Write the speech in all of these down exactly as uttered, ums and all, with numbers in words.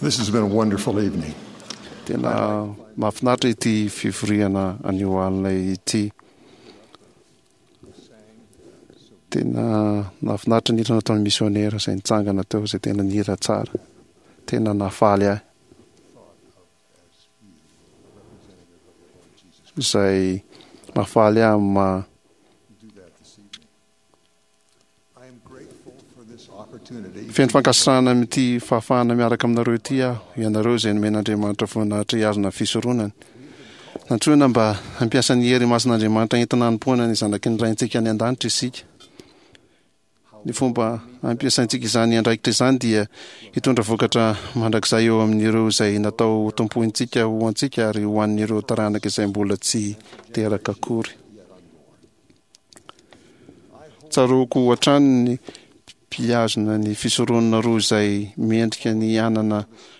This has been a wonderful evening. Tena mahafinaritra ity fivoriana anio alina ity. Tena nahafinaritra ny hira nataon'ny misionera izay nitsangana teo, izay tena nihira tsara. Tena nahafaly ahy. Izay mahafaly ahy amin'ny maha Feno fankasitrahana amin'ity fahafahana miaraka aminareo ity aho, ianareo izay nomen'Andriamanitra voninahitra hihazona ny fisoronany. Nantsoina mba hampiasa ny hery masin'Andriamanitra entina hanompoana ny zanaky ny Raintsika any an-danitra isika. Ny fomba ampiasaintsika izany andraikitra izany dia hitondra vokatra mandrakizay eo amin'ireo izay natao hotompointsika ho antsika ary ho an'ireo taranaka izay mbola tsy teraka akory. Tsaroako hatrany ny mpihazona ny fisoronana roa izay mendrika ny hanana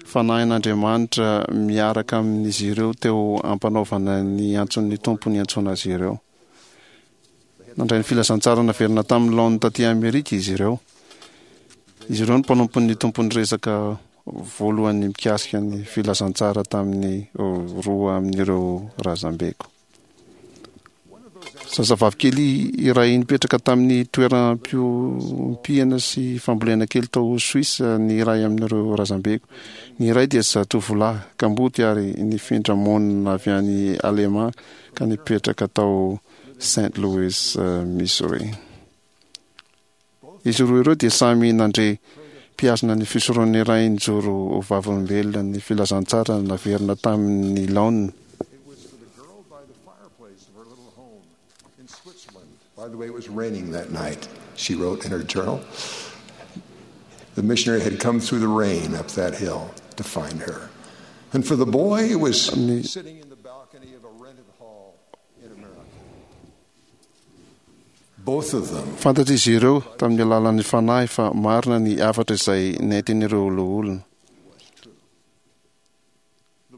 Fanahin'Andriamanitra miaraka amin'izy ireo teo am-panaovana ny antson'ny Tompo niantsoana azy ireo. Nandray ny filazantsara naverina tamin'ny laoniny taty Amerika izy ireo. Izy ireo no mpanompon'ny Tompo niresaka voalohany mikasika ny filazantsara tamin'ny roa amin'ireo razambeko. Zazavavy kely iray nipetraka tamin'ny toeram-piompiana sy fambolena kely tao Suisse ny iray amin'ireo razambeko. Ny iray dia zatovolahy kamboty ary nifindra monina avy any Alemà ka nipetraka tao Saint Louis, Missouri. Izy roa ireo dia samy nandre mpihazona ny fisoron'ny Ray nijoro ho vavolombelona ny filazantsara naverina tamin'ny laoniny. By the way, it was raining that night, she wrote in her journal. The missionary had come through the rain up that hill to find her. And for the boy, it was sitting in the balcony of a rented hall in America. Both of them. Fantatr'izy ireo tamin'ny alalan'ny Fanahy fa marina ny hafatra izay nentin'ireo loholona.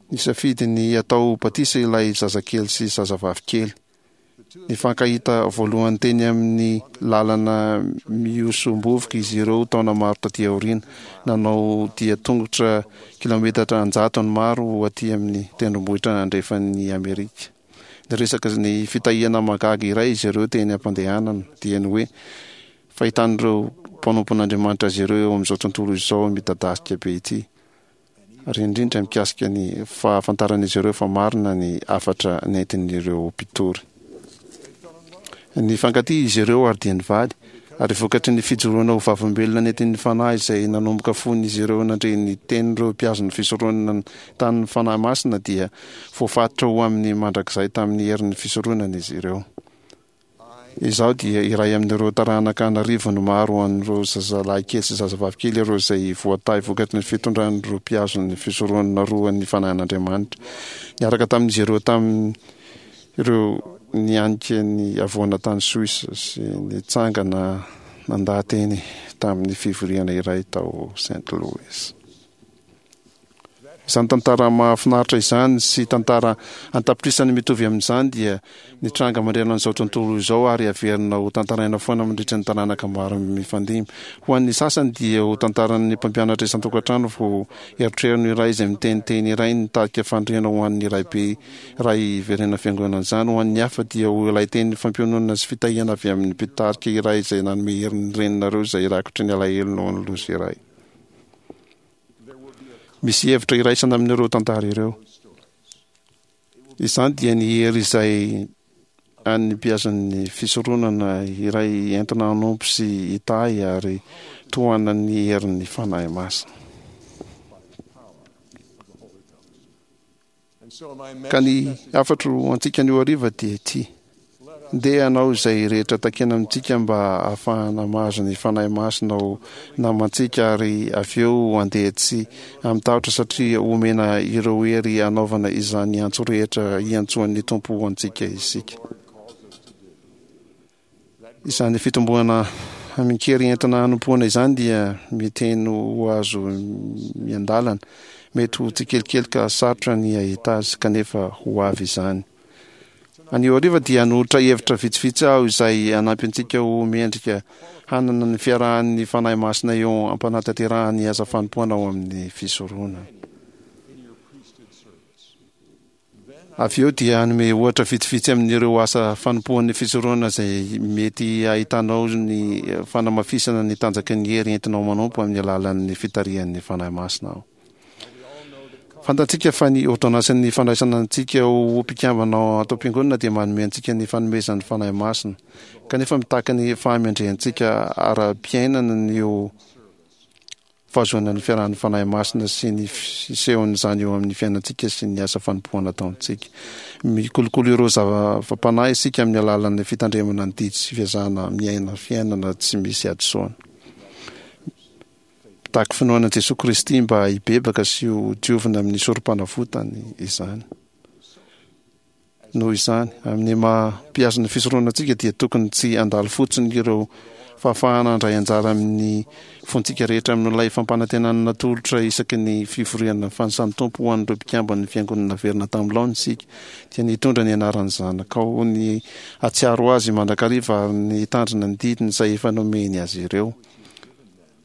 Nisafidy ny hatao batisa ilay zazakely sy zazavavy kely. Nifankahita voalohany teny amin'ny lalana mihosom-bovoka izy ireo taona maro taty aoriana. Nanao dia tongotra kilaometatra an-jatony maro ho aty amin'ny tendrombohitra andrefan'i Amerika. Niresaka ny fitahiana mahagaga iray izy ireo teny am-pandehanana, dia ny hoe fahitan'ireo mpanompon'Andriamanitra azy ireo eo amin'izao tontolo izao midadasika be ity. Ary indrindra mikasika ny fahafantaran'izy ireo fa marina ny hafatra nentin'ireo mpitory. Nifankatia izy ireo ary dia nivady, ary vokatry ny fijoroana ho vavolombelona nentin'ny Fanahy izay nanomboka fony izy ireo nandre ny tenin'ireo mpiazon'ny fisoronana tamin'ny Fanahy Masina dia voafatotra ho amin'ny mandrakizay tamin'ny herin'ny fisoronana izy ireo. Izaho dia iray amin'ireo taranaka an'arivony maro an'ireo zazalahy kely sy zazavavy kely ireo izay voatahy vokatry ny fitondran'ireo mpihazona ny fisoronana roa ny Fanahin'Andriamanitra. Niaraka tamin'izy ireo tamin'ireo nianika ny havoana tany Suisse sy nitsangana nandaha-teny tamin'ny fivoriana iray tao Saint Louis. Izany tantara mahafinaritra izany sy tantara an-tapitrisany mitovy amin'izany dia nitranga manerana an'izao tontolo izao ary averina ho tantaraina foana mandritra ny taranaka maro mifandimby. Ho an'ny sasany dia ho tantaran'ny mpampianatra isan-tokantrano vao erotrerony iray izay miteniteny iray nitarika fandriana ho an'ny raibe iray hiverenana fiangonana izany. Ho an'ny hafa dia ho ilay teny fampiononana sy fitahiana avy amin'ny mpitarika iray izay nanome hery ny reninareo izay rakotry ny alahelo noho ny loza iray. Misy hevitra iraisana amin'ireo tantara ireo. Izany dia ny hery izay an'ny mpihasan'ny fisoronana iray entina hanompo sy hitahy ary tohanan'ny herin'ny Fanahy Masina. Ka ny hafatro ho antsika anio hariva dia ity, Ndeha hanao izay rehetra takiana amintsika mba hahafahana mahazo ny Fanahy Masina ho namantsika ary avy eo handeha tsy amin-tahotra satria homena ireo hery hanaovana izany antso rehetra hiantsoan'ny Tompo ho antsika isika. Izany fitomboana amin-kery entina hanompoana izany dia miteny ho azo miandalana. Mety ho tsikelikely ka sarotra ny hahita azy, kanefa ho avy izany. Anio hariva dia hanolotra hevitra vitsivitsy aho izay hanampy antsika ho mendrika hanana ny fiarahan'ny Fanahy Masina eo am-panatanterahana ny asa fanompoana ao amin'ny fisoronana. Avy eo dia hanome ohatra vitsivitsy amin'ireo asa fanompoan'ny fisoronana izay mety hahitanao ny fanamafisana ny tanjaky ny hery entinao manompo amin'ny alalan'ny fitarihan'ny Fanahy Masina aho. Fantatsika fa ny ôrdônansin'ny fandraisana antsika ho mpikambana ao ato am-piangonana dia manome antsika ny fanomezan'ny Fanahy Masina, kanefa mitaky ny fahamendrehantsika ara-piainana ny eo fahazoana ny fiarahan'ny Fanahy Masina sy ny fisehon'izany eo amin'ny fiainantsika sy ny asa fanompoana ataontsika. Mikolokolo ireo zava-panahy isika amin'ny alalan'ny fitandremana ny didy sy fiezahana miaina fiainana tsy misy hadisoana. Mitaky finoana an'i Jesoa Kristy mba hibebaka sy ho diovina amin'ny sorompanavotany izany. Noho izany, amin'ny maha mpihazo ny fisoronana antsika dia tokony tsy handalo fotsiny ireo fahafahana handray anjara amin'ny fontsika rehetra amin'ilay fampanantenana natolotra isaky ny fivoriana fanisan'ny Tompo ho an'ireo mpikamban'ny Fiangonana naverina tamin'ny laoniny isika, dia ny hitondra ny anaran'ny Zanakao, ny hahatsiaro Azy mandrakariva ary ny hitandrina ny didiny izay efa nomeny azy ireo.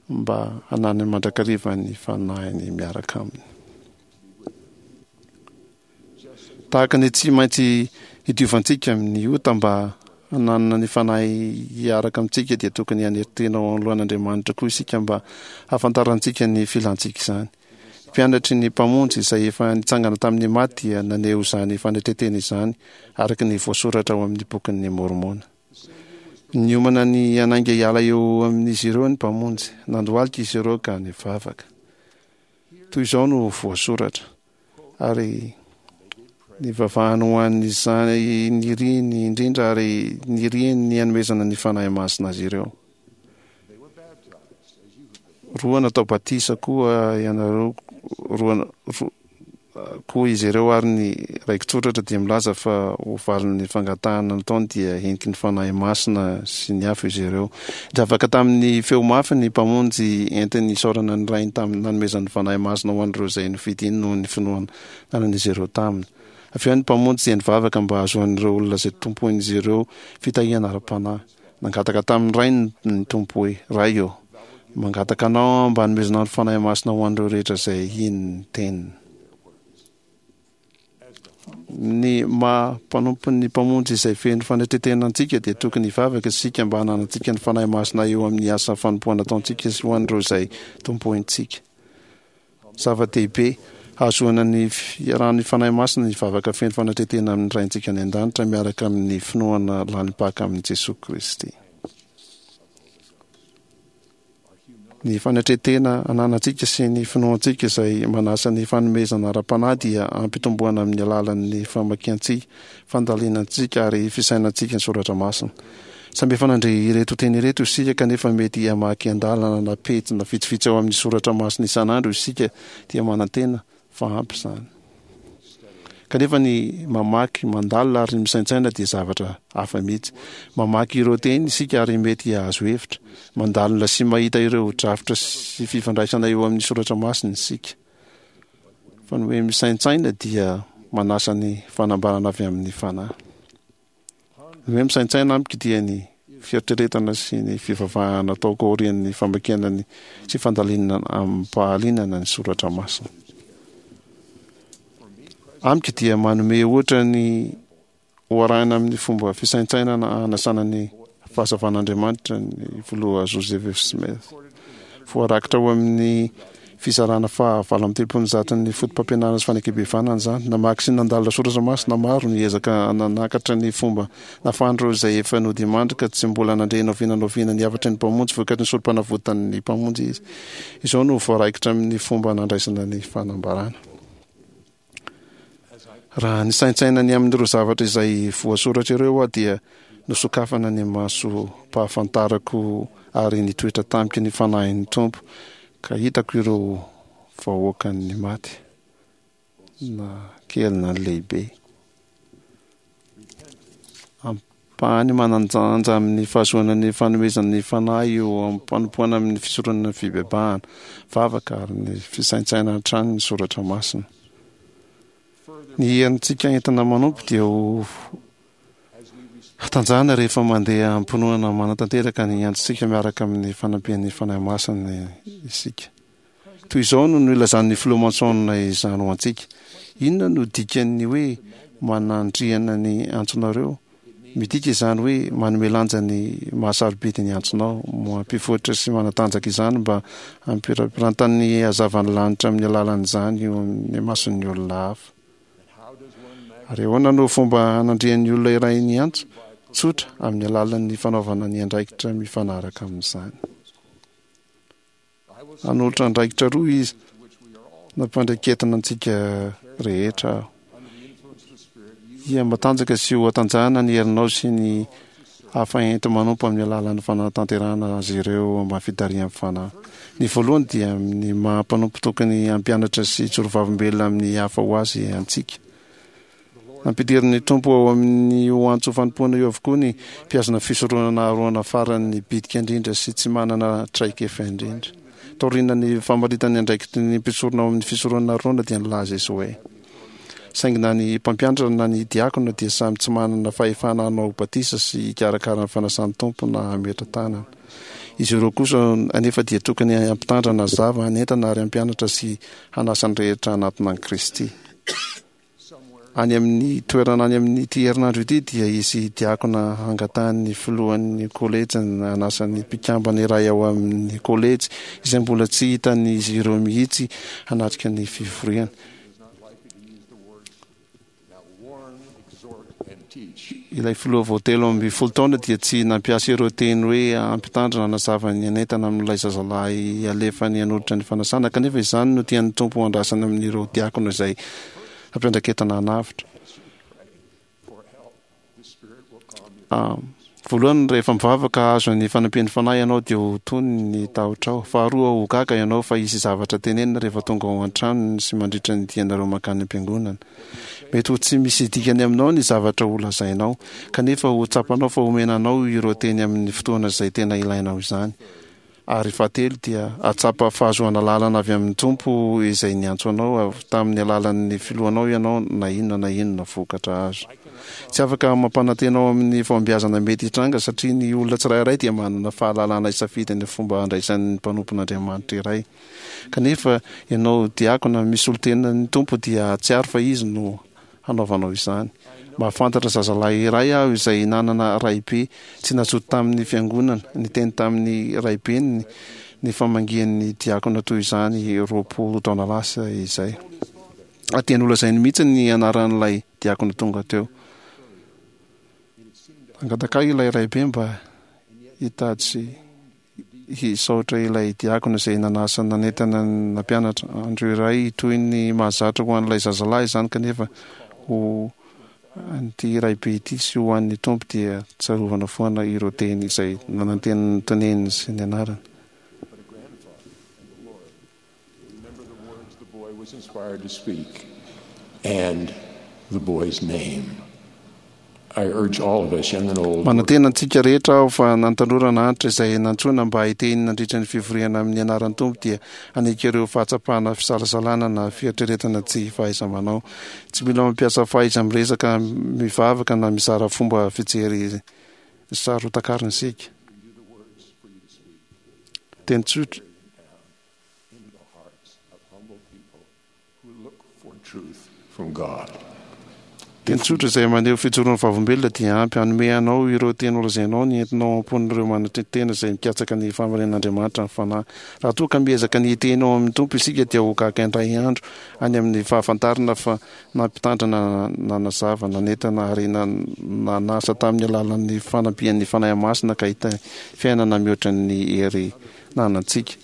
Mba hananany mandrakariva ny Fanahiny miaraka aminy. Tahaka ny tsy maintsy hidiovantsika amin'ny ota mba hananana ny Fanahy hiaraka amintsika dia tokony hanery tena ao anoloan'Andriamanitra koa isika mba hahafantarantsika ny filantsika izany. Mpianatry ny Mpamonjy izay efa nitsangana tamin'ny maty dia naneho izany fanetren-tena izany araka ny voasoratra ao amin'ny Bokin'i Môrmôna. Niomana ny hanainga hiala eo amin'izy ireo ny Mpamonjy. Nandohalika izy ireo ka nivavaka. Toy izao no voasoratra, Ary nivavahany ho an'izany niriany indrindra ary niriany ny hanomezana ny Fanahy Masina azy ireo. Roa natao batisa koa ianareo, roa, roa, koa izy ireo ary ny raiki-tsoratra dia milaza fa ho valin'ny fangatahana nataony dia heniky ny Fanahy Masina sy ny afo izy ireo. Nivavaka tamin'ny feo mafy ny Mpamonjy entiny hisaorana ny Rainy tamin'ny nanomezany ny Fanahy Masina ho an'ireo izay nofidiny noho ny finoana nanan'izy ireo taminy. Avy eo ny Mpamonjy dia nivavaka mba hahazoan'ireo olona izay tompoin'izy ireo fitahiana ara-panahy. Nangataka tamin'ny Rainy ny Tompo hoe, Ray ô, mangataka Anao aho mba hanomezanao ny Fanahy Masina ho an'ireo rehetra izay hino ny Teniny. Ny maha mpanompon'ny Mpamonjy izay feno fanetren-tena antsika dia tokony hivavaka isika mba hananantsika ny Fanahy Masina eo amin'ny asa fanompoana ataontsika sy ho an'ireo izay tompointsika. Zava-dehibe hahazoana ny fiarahan'ny Fanahy Masina ny vavaka feno fanetren-tena amin'ny Raintsika any An-danitra miaraka amin'ny finoana lalim-paka amin'i Jesoa Kristy. Ny fanetren-tena ananantsika sy ny finoantsika izay manasa ny fanomezana ara-panahy dia ampitomboana amin'ny alalan'ny famakiantsika, fandalinantsika ary fisainantsika ny soratra masina. Samy efa nandre ireto teny ireto isika, kanefa mety hamaky andalana na pejy na vitsivitsy ao amin'ny soratra masina isan'andro isika dia manantena fa ampy izany. Kanefa ny mamaky, mandalina ary misaintsaina dia zavatra hafa mihitsy. Mamaky ireo teny isika ary mety hahazo hevitra. Mandalina sy mahita ireo drafitra sy fifandraisana eo amin'ny soratra masina isika. Fa ny hoe misaintsaina dia manasa ny fanambarana avy amin'ny Fanahy. Ny hoe misaintsaina amiko dia ny fieritreretana sy ny fivavahana ataoko aorian'ny famakiana ny sy fandalinana amim-pahalinana ny soratra masina. Amiko dia manome ohatra ny ho arahina amin'ny fomba fisaintsainana hanasana ny fahazavan'Andriamanitra ny filoha Joseph F. Smith. Voarakitra ao amin'ny fizarana faha valo amby telopolo ny zaton'ny fotopampianarana sy fanekem-pihavanana izany. Namaky sy nandalina soratra masina maro, niezaka nanakatra ny fomba nahafahan'ireo izay efa nodimandry ka tsy mbola nandre na oviana na oviana ny hafatry ny Mpamonjy vokatry ny sorompanavotan'ny Mpamonjy izy. Izao no voaraikitra amin'ny fomba nandraisana ny fanambarana. Raha nisaintsaina ny amin'ireo zavatra izay voasoratra ireo aho dia nosokafana ny masom-pahafantarako ary nitoetra tamiko ny Fanahin'ny Tompo ka hitako ireo vahoakan'ny maty, na kely na lehibe. Ampahany manan-danja amin'ny fahazoana ny fanomezan'ny Fanahy eo am-panompoana amin'ny fisoronana ny fibebahana, vavaka ary ny fisaintsainana hatrany ny soratra masina. Ny herintsika entina manompo dia ho Hatanjahana rehefa mandeha am-pinoana manatanteraka ny antsontsika miaraka amin'ny fanampian'ny Fanahy Masina isika. Toy izao no nilazan'ny Filoha Monson izany ho antsika: Inona no dikan'ny hoe manandriana ny antsonareo? Midika izany hoe manome lanja ny mahasarobidy ny antsonao, mampivoatra sy manatanjaka izany mba hampirapirantan'ny hazavan'ny lanitra amin'ny alalan'izany eo amin'ny mason'ny olona hafa. Ary ahoana no fomba hanandrian'ny olona iray ny antso? Tsotra, amin'ny alalan'ny fanaovana ny andraikitra mifanaraka amin'izany. Hanolotra andraikitra roa izy nampandraiketina antsika rehetra aho. Hihamatanjaka sy ho hatanjahana ny herinao sy ny hafa enti-manompo amin'ny alalan'ny fanatanterahana azy ireo ambany fitarihan'ny Fanahy. Ny voalohany dia amin'ny maha mpanompo tokony hampianatra sy hijoro vavolombelona amin'ny hafa ho azy antsika. Nampidirin'ny Tompo ao amin'io antso fanompoana io avokoa ny mpihazona fisoronana Arona farany bitika indrindra sy tsy manana traikefa indrindra. Taorian'ny famaritany andraikitry ny mpisorona ao amin'ny fisoronana Arona dia nilaza izy hoe, Saingy na ny mpampianatra na ny diakona dia samy tsy manana fahefana hanao batisa sy hikarakara ny fanasan'ny Tompo na hametra tanana. Izy ireo kosa anefa dia tokony hampitandrina, hazava, hanentana ary hampianatra sy hanasa ny rehetra hanatona an'i Kristy. Any amin'ny toerana any amin'ity herinandro ity dia hisy diakona hangatahan'ny filohan'ny kolejy hanasa ny mpikambana iray ao amin'ny kolejy izay mbola tsy hitan'izy ireo mihitsy hanatrika ny fivoriana. Ilay filoha vao telo ambin'ny folo taona dia tsy nampiasa ireo teny hoe hampitandrina hanazava ny hanentana amin'ilay zazalahy alefany hanolotra ny fanasana, kanefa izany no tian'ny Tompo ho andrasana amin'ireo diakona izay hampiandraiketana hanavotra. Voalohany, rehefa mivavaka hahazo ny fanampian'ny Fanahy ianao dia ho tony ny tahotrao. Faharoa, ho gaga ianao fa hisy zavatra tenenina rehefa tonga ao an-tranony sy mandritra ny dianareo mankany am-piangonana. Mety ho tsy misy dikany aminao ny zavatra ho lazainao, kanefa ho tsapanao fa omena anao ireo teny amin'ny fotoana izay tena ilainao izany. Ary fahatelo dia hahatsapa fahazoana lalana avy amin'ny Tompo izay niantso anao avy tamin'ny alalan'ny filohanao ianao na inona na inona vokatra azo. Tsy afaka mampanantena ao amin'ny fahombiazana mety hitranga satria ny olona tsirairay dia manana fahalalana hisafidy ny fomba handraisany ny mpanompon'Andriamanitra iray. Kanefa ianao diakona misolo tena ny Tompo dia hahatsiaro fa Izy no hanaovanao izany. Mahafantatra zazalahy iray aho izay nanana raibe tsy nazoto tamin'ny fiangonana, niteny tamin'ny raibeny ny famangian'ny diakona toy izany roapolo taona lasa izay. Ary dia nolazainy mihitsy ny anaran'ilay diakona tonga teo. Nangataka ahy ilay raibe mba hitady sy Hisaotra ilay diakona izay nanasa nanentana ny nampianatra. Andro iray toy ny mahazatra ho an'ilay zazalahy izany kanefa ho an'ity raibe ity sy ho an'ny Tompo dia tsarovana foana ireo teny izay nanantenanteneny sy nianarany. Remember the words the boy was inspired to speak and the boy's name. I urge all of us, young and old. Manantena antsika rehetra aho fa na ny tanora na antitra izay nantsoina mba hiteny nandritra ny fivoriana amin'ny anaran'ny Tompo dia hanaiky ireo fahatsapana fisalasalana na fieritreretana tsy fahaiza-manao. Tsy mila mampiasa fahaiza-miresaka, mivavaka na mizara fomba fijery saro-takarina isika. Teny tsotra. Teny tsotra izay maneho fijoroan'ny vavolombelona dia ampy hanome anao ireo teny holazainao ny entinao ao am-pon'ireo manatri-tena izay mikatsaka ny fahamarinan'Andriamanitra ny Fanahy. Raha toa ka miezaka ny hiteny ao amin'ny Tompo isika dia ho gaga indray andro any amin'ny fahafantarana fa nampitandrina, nanazava, nanentana ary nanasa tamin'ny alalan'ny fanampian'ny Fanahy Masina ka hita fiainana mihoatra ny hery nanantsika.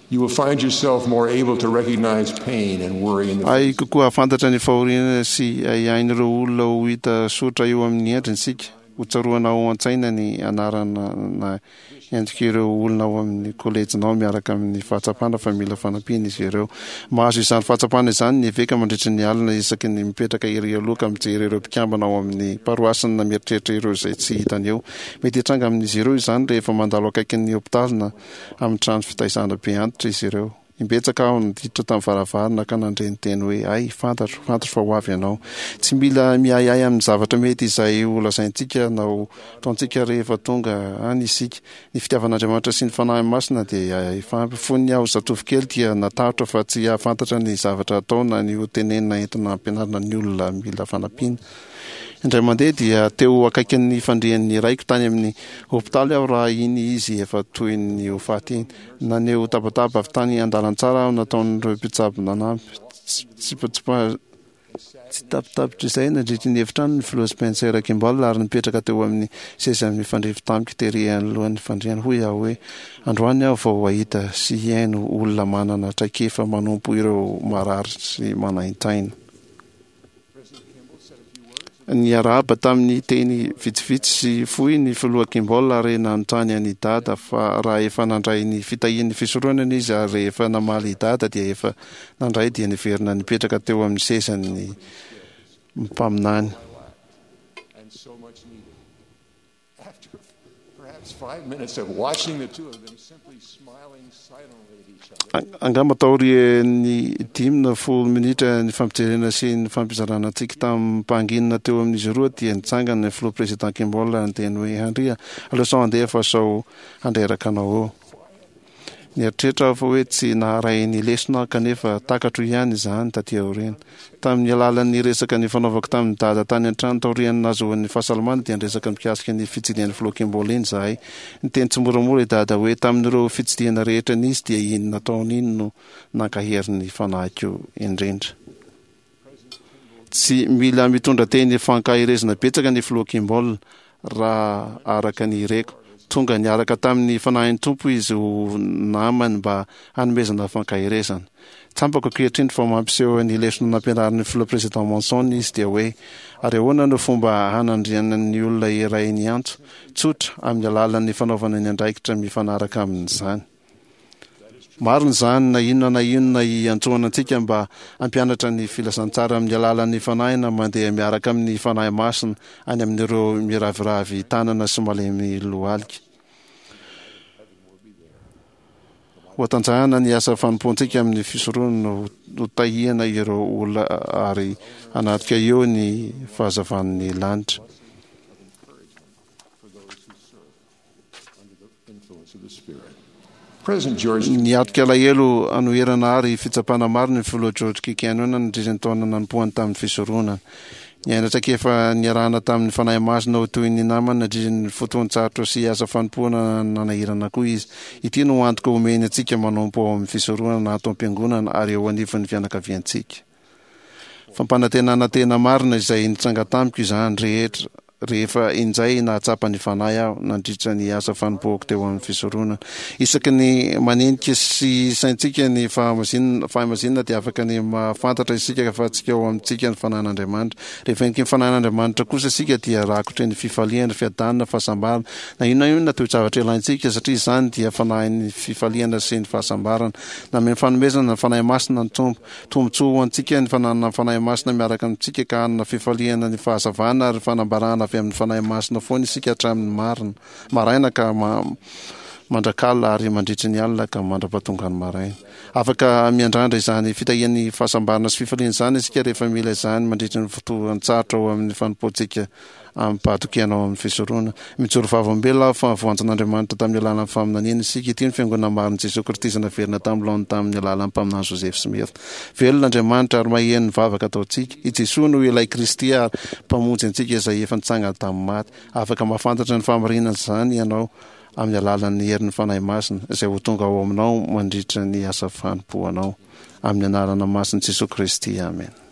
You will find yourself more able to recognize pain and worry in the Hay kokoa hahafantatra ny fahoriana sy ahiahin'ireo olona ho hita soritra eo amin'ny endriny isika. Ho tsaroana ao an-tsaina ny anarana na endrik'ireo olona ao amin'ny kolejinao miaraka amin'ny fahatsapana fa mila fanampiana izy ireo. Mahazo izany fahatsapana izany ny eveka mandritry ny alina isaky ny mipetraka ery aloha ka mijery ireo mpikambana ao amin'ny paroasiny na mieritreritra ireo izay tsy hitany eo. Mety hitranga amin'izy ireo izany rehefa mandalo akaikin'ny hopitaly na amin'ny trano fitaizana be antitra izy ireo. Imbetsaka aho niditra tamin'ny varavarana ka nandre ny teny hoe, "Ay, fantatro, fantatro fa ho avy ianao." Tsy mila miahiahy amin'ny zavatra mety izay ho lazaintsika na ho ataontsika rehefa tonga any isika. Ny fitiavan'Andriamanitra sy ny Fanahy Masina dia efa ampy. Fony aho zatovo kely dia natahotra fa tsy hahafantatra ny zavatra atao na ny ho tenenina entina hampianarina ny olona mila fanampiana. Indray mandeha dia teo akaikin'ny fandrian'ny raiko tany amin'ny hopitaly aho raha iny izy efa toy ny ho faty iny. Naneho tabataba avy tany an-dalantsara aho nataon'ireo mpitsabo nanampy. Tsipatsipa tsy tapitapitra izay nandritry ny efitrano ny filoha Spencer Kimball ary nipetraka teo amin'ny seza mifandrify tamiko tery anoloan'ny fandriana. Hoy aho hoe, "Androany aho vao hahita sy hihaino olona manana traikefa manompo ireo marary sy manaintaina." Niarahaba tamin'ny teny vitsivitsy sy fohy ny filoha Kimball ary nanontany an'i Dada fa raha efa nandray ny fitahian'ny fisoronana izy, ary rehefa namaly i Dada dia efa nandray dia niverina nipetraka teo amin'ny sezan'ny mpaminany. And so much needed. After perhaps five minutes of watching the two of them simply smiling silently at each other, Angamba taorian'ny dimy na folo minitra ny fampijerena sy ny fampizarana antsika tamin'ny teo amin'izy roa dia nitsangana ny filoha président Kimball niteny hoe, "Andria, aleo sao andeha fa sao handreraka anao eo." Nieritreritra aho fa hoe tsy naharay ny lesona, kanefa takatro ihany izany taty aoriana. Tamin'ny alalan'ny resaka ny fanaovako tamin'ny Dada tany an-trano taorian'ny nahazoan'ny fahasalamana dia niresaka mikasika ny fitsidihan'ny filoha Kimball iny zahay. Niteny tsy moramora i Dada hoe, "Tamin'ireo fitsidihana rehetra nisy dia iny nataony iny no nankahery ny fanahiko indrindra." Tsy mila mitondra teny fankaherezana betsaka ny filoha Kimball raha araka ny reko. Tonga niaraka tamin'ny Fanahin'ny Tompo izy ho namany mba hanomezana fankaherezana. Tsapako ankehitriny fa mampiseho ny lesona nampianarin'ny filoha président Monson izy, dia hoe ary ahoana no fomba hanandrianan'ny olona iray ny antso? Tsotra, amin'ny alalan'ny fanaovana ny andraikitra mifanaraka amin'izany. Marina izany na inona na inona iantsoana antsika mba hampianatra ny filazantsara amin'ny alalan'ny Fanahy na mandeha miaraka amin'ny Fanahy Masina any amin'ireo miraviravy tanana sy malemy lohalika. Ho atanjahana ny asa fanompoantsika amin'ny fisoronana, ho tahiana ireo olona ary hanatrika eo ny fahazavan'ny lanitra. for those who serve under the influence of the Spirit. President George Niatrika alahelo, anoherana ary fitsapana maro ny filoha George K. Cannon nandritra ny taona nanompoany tamin'ny fisoronana. Niaina traikefa niarahana tamin'ny Fanahy Masina ho toy ny namana nandritra ny fotoan-tsarotra sy asa fanompoana nanahirana koa izy. Ity no antoka omeny antsika manompo ao amin'ny fisoronana, ato am-piangonana ary eo anivon'ny fianakaviantsika. Fampanantenana tena marina izay nitranga tamiko izany rehetra rehefa injay nahatsapa ny Fanahy aho nandritra ny asa fanompoako teo amin'ny fisoronana. Isaky ny manenika sy saintsika ny fahamasinana fahamasinana dia afaka ny mahafantatra isika fa tsika ao amintsika ny Fanahin'Andriamanitra. Rehefa heniky ny Fanahin'Andriamanitra kosa isika dia rakotry ny fifaliana, fiadanana, fahasambarana, na inona inona toe-javatra ilaintsika, satria izany dia Fanahin'ny fifaliana sy ny fahasambarana. Nanome ny fanomezana ny Fanahy Masina ny Tompo. Tombontsoa ho antsika ny fananana ny Fanahy Masina miaraka amintsika, ka hanana fifaliana, ny fahazavana ary fanambarana avy amin'ny Fanahy Masina foana isika hatramin'ny marina maraina ka mandrakalina ary mandritry ny alina ka mandra-pahatonga ny maraina. Afaka miandrandra izany fitahian'ny fahasambarana sy fifaliana izany isika rehefa mila izany mandritry ny fotoan-tsarotra ao amin'ny fanompoantsika amim-pahatokiana ao amin'ny fisoronana. Mijoro vavolombelona aho fa voantson'Andriamanitra tamin'ny alalan'ny faminaniana isika. Ity ny fiangonana marin'i Jesoa Kristy izay naverina tamin'ny laoniny tamin'ny alalan'ny mpaminany Joseph Smith. Velona Andriamanitra ary maheno ny vavaka ataontsika. I Jesoa no ilay Kristy ary Mpamonjy antsika izay efa nitsangana tamin'ny maty. Afaka mahafantatra ny fahamarinana izany ianao amin'ny alalan'ny herin'ny Fanahy Masina izay ho tonga ao aminao mandritra ny asa fanompoanao. Amin'ny anarana masin'i Jesoa Kristy. Amen.